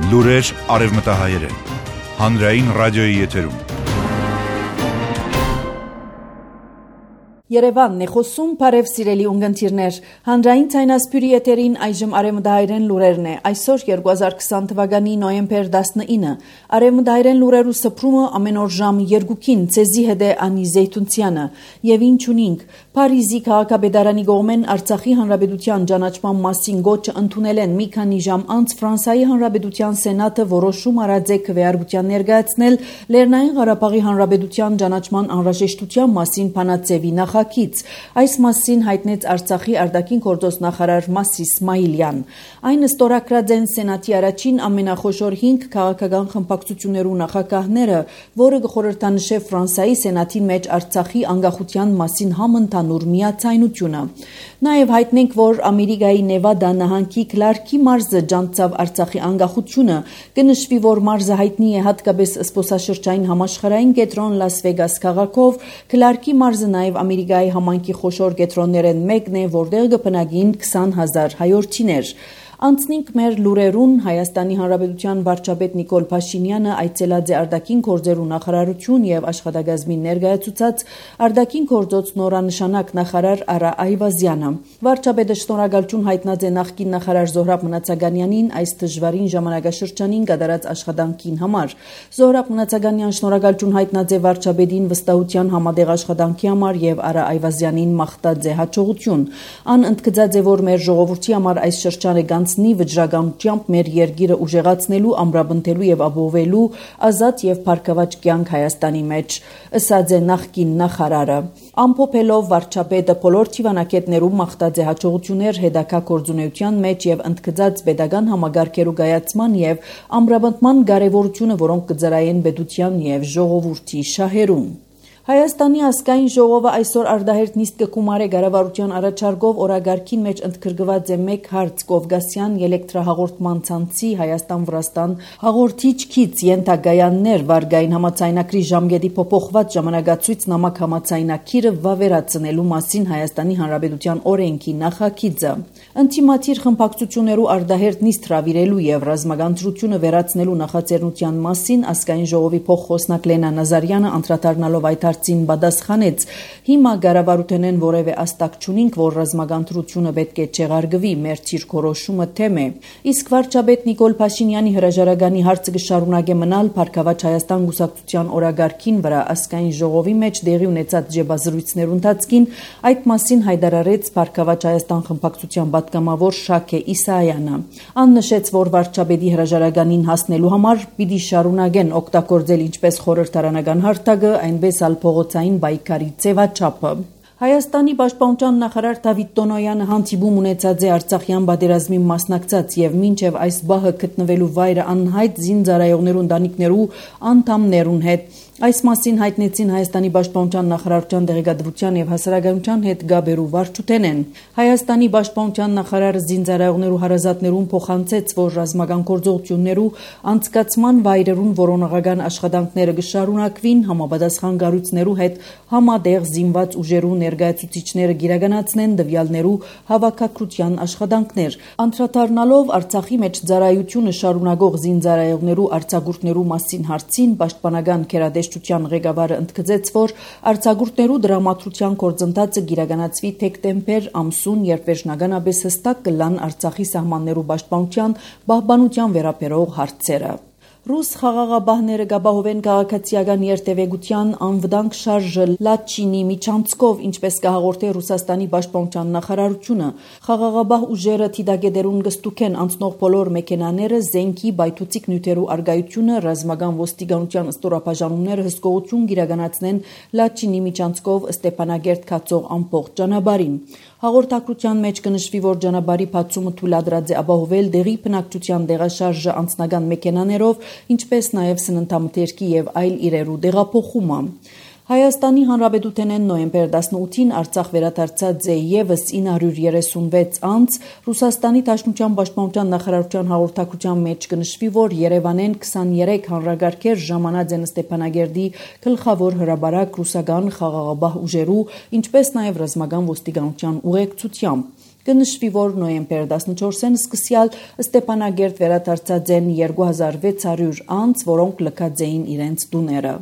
Լուրեր արևմտահայերեն, հանրային ռադիոյի եթերում։ Երևանն է խոսում, բարև սիրելի ունգընտիրներ, հանրային ցայնասպյուրի եթերին այժմ արևմտահայերեն լուրերն է, այսօր 2020 թվականի նոյեմբեր 19, արևմտահայերեն լուրերու սփրումը ամեն օր ժամ 2-ին, ցեզի հետ է Անի Զեյթունցյանը, եւ ինչ ունինք, Փարիզի քաղաքապետարանի կողմեն Արցախի հանրապետության ճանաչման մասին գոչը ընդունել են մի քանի ժամ անց Ֆրանսիայի հանրապետության սենատը որոշում արած է քվեարկության ներկայացնել Լեռնային Ղարաբաղի հանրապետության ճանաչման անհրաժեշտության մասին փանացեվի նախագիծ, այս մասին հայտնեց Արցախի արտաքին գործոս նախարար Մասիս Իսմայիլյան։ Այն ստորագրած են սենատի առաջին ամենախոշոր 5 քաղաքական խմբակցություններու նախագահները, որը կխորհրդանշե Ֆրանսիայի սենատի մեջ Արցախի անկախության մասին համընդհանուր միացայնությունը։ Նաև հայտնենք, որ Ամերիկայի Նևադա նահանգի Քլարկի մարզը ջանցավ Արցախի անկախությունը, կնշվի, որ մարզը հայտնի է հատկապես զբոսաշրջային համաշխարհային կենտրոն Լաս Վեգաս քաղաքով, Քլարկի մարզը նաև Ամերիկայի համայնքի խոշոր կենտրոններեն մեկն է, որտեղ կբնակին 20,000 հայորդիներ։ Անցնենք մեր լուրերուն, Հայաստանի Հանրապետության վարչապետ Նիկոլ Փաշինյանը այցելած է արտաքին գործերու նախարարություն եւ աշխատակազմին ներկայացուցած արտաքին գործոց նորանշանակ նախարար Արա Այվազյանը։ Վարչապետը շնորհակալություն հայտնած է նախկին նախարար Զոհրաբ Մնացականյանին այս դժվարին ժամանակաշրջանին կատարած աշխատանքին համար։ Զոհրաբ Մնացականյան շնորհակալություն հայտնած է վարչապետին վստահության համատեղ աշխատանքի համար եւ Արա Այվազյանին մաղթած է հաջողություն։ Ան ընդգծած է, որ մեր ժողովրդի համար այս շրջանը նի վճռականությամբ մեր երկիրը ուժեղացնելու, ամրապնդելու եւ ապահովելու ազատ եւ փառքաված կյանք Հայաստանի մեջ, ըսած է նախկին նախարարը։ Ամփոփելով վարչապետը բոլոր թիվանակետներում մաղթած է հաջողություններ հետագա գործունեության մեջ եւ ընդգծած պետական համագարկերու կայացման եւ ամրապնդման կարեւորությունը, որոնք կծրայեն պետության եւ ժողովրդի շահերում։ Հայաստանի ազգային ժողովը այսօր արտահերտ նիստ կկումարե կառավարության առաջարկով օրագարկին մեջ ընդգրկված է մեկ հարց Կովկասյան էլեկտրահաղորդման ցանցի Հայաստան-Վրաստան հաղորդիչ քիծ ենթակայաններ վարկային համաձայնագրի ժամկետի փոփոխված ժամանակացույց նամակ համաձայնագիրը վավերացնելու մասին Հայաստանի Հանրապետության օրենքի նախագիծը։ Ընտիմատիր խմբակցություններու արտահերտ նիստ հրավիրելու եւ ռազմական դրությունը վերացնելու նախաձեռնության մասին ազգային ժողովի փոխխոսնակ Լենա Նազարյանը անդրադառնալով այդ հարցին պատասխանեց. հիմա կառավարութենեն որևէ աստակ չունինք, որ ռազմական դրությունը պետք է չեղարկվի, մեր ցիրկորոշումը թեմ է։ Իսկ վարչապետ Նիկոլ Փաշինյանի հրաժարականի հարցը կշարունակե մնալ Փառքաված Հայաստան գուսակցության օրագարկին վրա ազգային ժողովի մեջ դեղի ունեցած ջեբազրույցներու ընթացքին այդ մասին հայտարարեց Փառքաված Հայաստան խմբակցության պատգամավոր Շաքե Իսայանը։ Ան նշեց, որ վարչապետի հրաժարականին հասնելու համար պիտի շարունակեն օգտագործել ինչպես խորհրդարանական հարթակը, այնպես ալ փողոցային բայկարի ձևաչափը։ Հայաստանի պաշտպանության նախարար Դավիթ Տոնոյանը հանդիպում ունեցած է Արցախյան պատերազմին մասնակցած եւ մինչեւ այս բահը գտնվելու վայրը անհայտ զինծառայողներու ընտանիքներու անդամներուն հետ։ Այս մասին հայտնեցին Հայաստանի պաշտպանության նախարարության դեղեկատվության եւ հասարակայնության հետ գաբերու վարչութենեն։ Հայաստանի պաշտպանության նախարարը զինծառայողներու հարազատներուն փոխանցեց, որ ռազմական գործողություններու անցկացման վայրերուն որոնողական աշխատանքները կշարունակվին, համապատասխան կառույցներու հետ համատեղ զինված ուժերու ներկայացուցիչները գիրականացնեն տվյալներու հավաքագրության աշխատանքներ։ Անդրադառնալով Արցախի մեջ ծառայությունը շարունակող զինծառայողներու արձակուրդներու մասին հարցին պաշտպանական քերադեշտության ղեկավարը ընդգծեց, որ արձակուրդներու դրամատրության գործընթացը գիրականացվի դեկտեմբեր ամսուն, երբ վերջնականապես հստակ կլան Արցախի սահմաններու պաշտպանության պահպանության վերաբերող հարցերը։ Ռուս խաղաղապահները կապահովեն քաղաքացիական երթևեկության անվտանգ շարժը Լաչինի միջանցքով, ինչպես կհաղորդե Ռուսաստանի պաշտպանության նախարարությունը։ Խաղաղապահ ուժերը թիդագետերուն կստուգեն անցնող բոլոր մեքենաները, զենքի, բայթուցիկ նյութերու արգայությունը, ռազմական ոստիկանության ստորաբաժանումները հսկողություն կիրականացնեն Լաչինի միջանցքով Ստեփանագերտ կացող ամբողջ ճանապարհին։ Հաղորդակցության մեջ կնշվի, որ ճանապարհի բացումը թույլատրած է ապահովել դեղի բնակչության տեղաշարժը անձնական մեքենաներով, ինչպես նաև սննդամթերքի եւ այլ իրերու տեղափոխումը։ Հայաստանի Հանրապետութենեն նոյեմբեր 18-ին Արցախ վերադարձած է եւս 936 անց, Ռուսաստանի Դաշնության պաշտպանության նախարարության հաղորդակցության մեջ կնշվի, որ Երևանեն 23 հանրագարքեր ժամանած են Ստեփանագերդի գլխավոր հրաբարակ ռուսական խաղաղապահ ուժերու, ինչպես նաև ռազմական ոստիկանության ուղեկցությամբ։ Կնշվի, որ նոյեմբեր 14-ին սկսյալ Ստեփանագերտ վերադարձած են 2600 անձ, որոնք լքած էին իրենց տուները։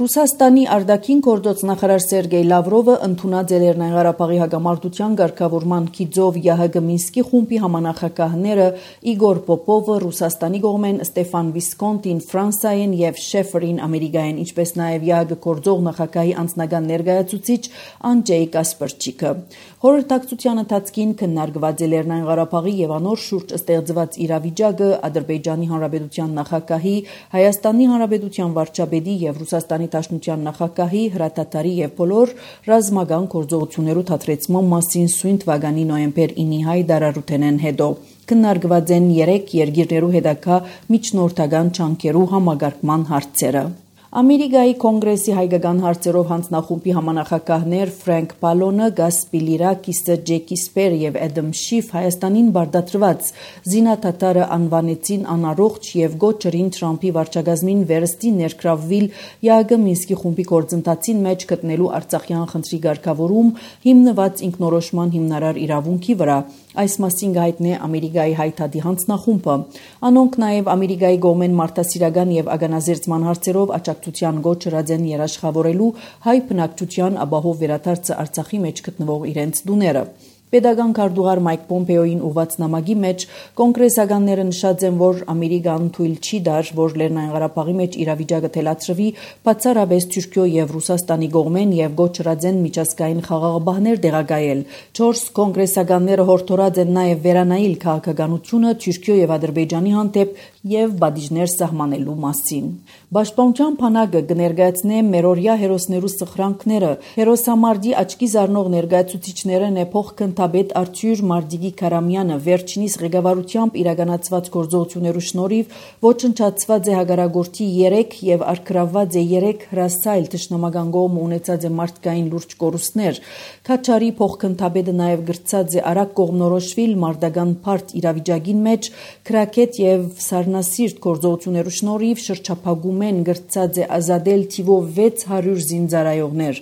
Ռուսաստանի արտաքին գործոց նախարար Սերգեյ Լավրովը ընդունած է Լեռնային Ղարաբաղի հակամարտության ղեկավարման գիծով ՀՀԳ Մինսկի խումբի համանախագահները Իգոր Պոպովը Ռուսաստանի կողմեն, Ստեֆան Վիսկոնտին Ֆրանսիայեն եւ Շեֆերին Ամերիկայեն, ինչպես նաեւ ՀՀԳ գործող նախագահի անձնական ներկայացուցիչ Անջեյ Կասպերչիկը։ Խորհրդակցության ընթացքին քննարկված է Լեռնային Ղարաբաղի եւ անոր շուրջ ստեղծված իրավիճակը, Ադրբեջանի Հանրապետության նախագահի, Հայաստանի Հանրապետության վարչապետի եւ Ռուսաստանի Դաշնության նախագահի, հրատատարի եւ բոլոր ռազմական գործողություններու թատրեցման մասին սույն թվականի նոյեմբեր 9-ի հայտարարութենեն հետո քննարկված են 3 երկիրներու հետագա միջնորդական ջանքերու համագարկման հարցերը։ Ամերիկայի կոնգրեսի հայկական հարցերով հանձնախումբի համանախագահներ Ֆրենկ Պալոնը, Գաս Պիլիրակիսը, Ջեկի Սպեր եւ Էդմ Շիֆ Հայաստանին բարդացրված զինադատարը անվանեցին անառողջ եւ գոչերին Թրամփի վարչակազմին վերստի ներգրավվել ՀԱԳ Մինսկի խումբի գործընթացին մեջ գտնելու Արցախյան խնդրի ղեկավարում հիմնված ինքնորոշման հիմնարար իրավունքի վրա։ Այս մասին գայտնե Ամերիկայի հայտարարի հանձնախումբը։ Անոնք նաեւ Ամերիկայի կողմեն մարդասիրական եւ ագանազերծման հարցերով աջակցության գոչ հրած են երաշխավորելու հայ բնակչության ապահով վերադարձը Արցախի մեջ գտնվող իրենց տուները։ Պետական քարտուղար Մայք Պոմպեոյին ուղված նամակի մեջ կոնգրեսականները նշած են, որ Ամերիկան թույլ չի տար, որ Լեռնային Ղարաբաղի մեջ իրավիճակը թելացրվի բացառապես Թուրքիո եւ Ռուսաստանի կողմեն եւ գոչ հրած են միջազգային խաղաղապահներ տեղակայել։ 4 կոնգրեսականները հորդորած են նաեւ վերանայել քաղաքականությունը Թուրքիո եւ Ադրբեջանի հանդեպ եւ բադիժներ սահմանելու մասին։ Պաշտպանության բանակը կներկայացնե մերօրյա հերոսներու սխրանքները։ Հերոսամարտի աչքի զարնող ներկայացուցիչներն է փոխքննադեպ Արթուր Մարդիգի Քարամյանը վերջինիս ղեկավարությամբ իրականացված գործողություններու շնորհիվ ոչնչացված է հագարագործի 3 եւ արգրավված է 3 հրասայլ թշնամական կողմ ունեցած է մարդկային լուրջ կորուստներ։ Քաչարի փոխքննադեպը նաեւ գրծած է արագ կողմնորոշվել մարտական բարդ իրավիճակին մեջ քրակետ եւ սառնասիրտ գործողություններու շնորհիվ շրջափակում են գրծած է ազատել թիվով 600 զինծառայողներ։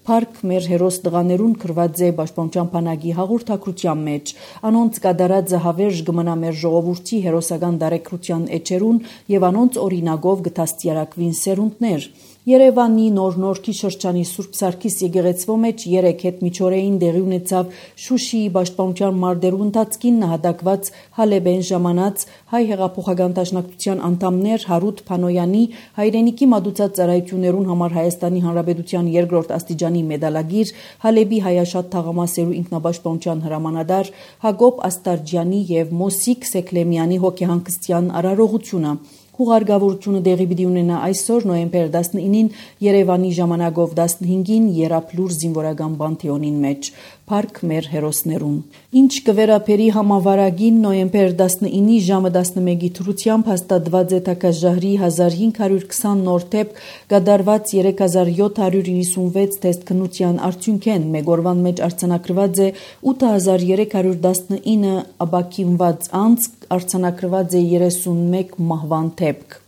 Փառք մեր հերոս տղաներուն գրված է Պաշտպանության բանակի հաղորդակցության մեջ։ Անոնց կատարած հավերժ կմնա մեր ժողովրդի հերոսական դարեկրության էջերուն եւ անոնց օրինակով կդաստիարակվին սերունդներ։ Երևանի Նոր-Նորքի շրջանի Սուրբ Սարգիս եկեղեցվո մեջ 3 հետմիջօրեին տեղի ունեցավ Շուշիի Պաշտպանության մարտերու ընթացքին նահատակված Հալեբեն ժամանած հայ հեղափոխական դաշնակցության անդամներ Հարութ Փանոյանի հայրենիքի մատուցած ծառայություններուն համար Հայաստանի Հանրապետության երկրորդ աստիճանի մեդալագիր, Հալեբի հայաշատ թաղամասերու ինքնապաշտպանության հրամանատար Հակոբ Աստարջյանի եւ Մոսիկ Սեկլեմյանի հոգեհանգստյան արարողությունը։ Հուղարկավորությունը դեղի պիտի ունենա այսօր նոյեմբեր 19-ին Երևանի ժամանակով 15-ին Երապլուր զինվորական պանթեոնին մեջ։ Փառք մեր հերոսներուն։ Ինչ կվերապերի համավարագին նոյեմբեր 19-ի ժամը 11-ի թրությամբ հաստատված է Թակազհարի 1520 նոր թեփ կատարված 3796 թեստ քննության արդյունքեն մեգորվան մեջ արձանագրված է 8319 ապակինված անձ, արձանագրված է 31 մահվան դեպք։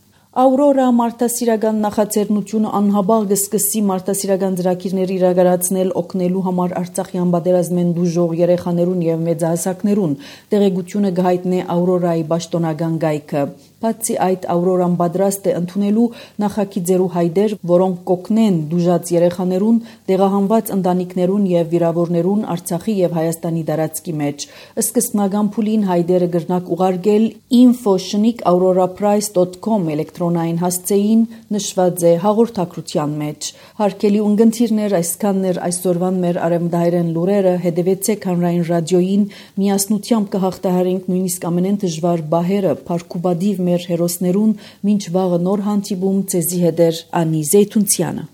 Աուրորա մարդասիրական նախաձեռնությունը անհաբաղ կսկսի մարդասիրական ծրագիրներ իրականացնել օգնելու համար Արցախյան պատերազմեն դժոխ երեխաներուն եւ մեծահասակներուն։ Տեղեկությունը կհայտնի Աուրորայի պաշտոնական գայքը։ Բացի այդ, Աուրորան պատրաստ է ընդունելու նախագիծերու հայտեր, որոնք կօգնեն դժուժած երեխաներուն, տեղահանված ընտանիքներուն եւ վիրավորներուն Արցախի եւ Հայաստանի տարածքի մեջ։ Սկզբնական փուլին հայտերը կրնակ ուղարկել info@auroraprice.com էլեկտրոնային հասցեին նշված է հաղորդակցության մեջ։ Հարգելի ունգընտիրներ, այսքաններ այսօրվան մեր արևմտահայերեն լուրերը, հետևեցեք հանրային ռադիոյին, միասնությամբ կհաղթահարենք նույնիսկ ամենեն դժվար բահերը, փառքուբադիվ մեր հերոսներուն, մինչ վաղը նոր հանդիպում, ցեզի հետ Անի Զեյթունցյանը։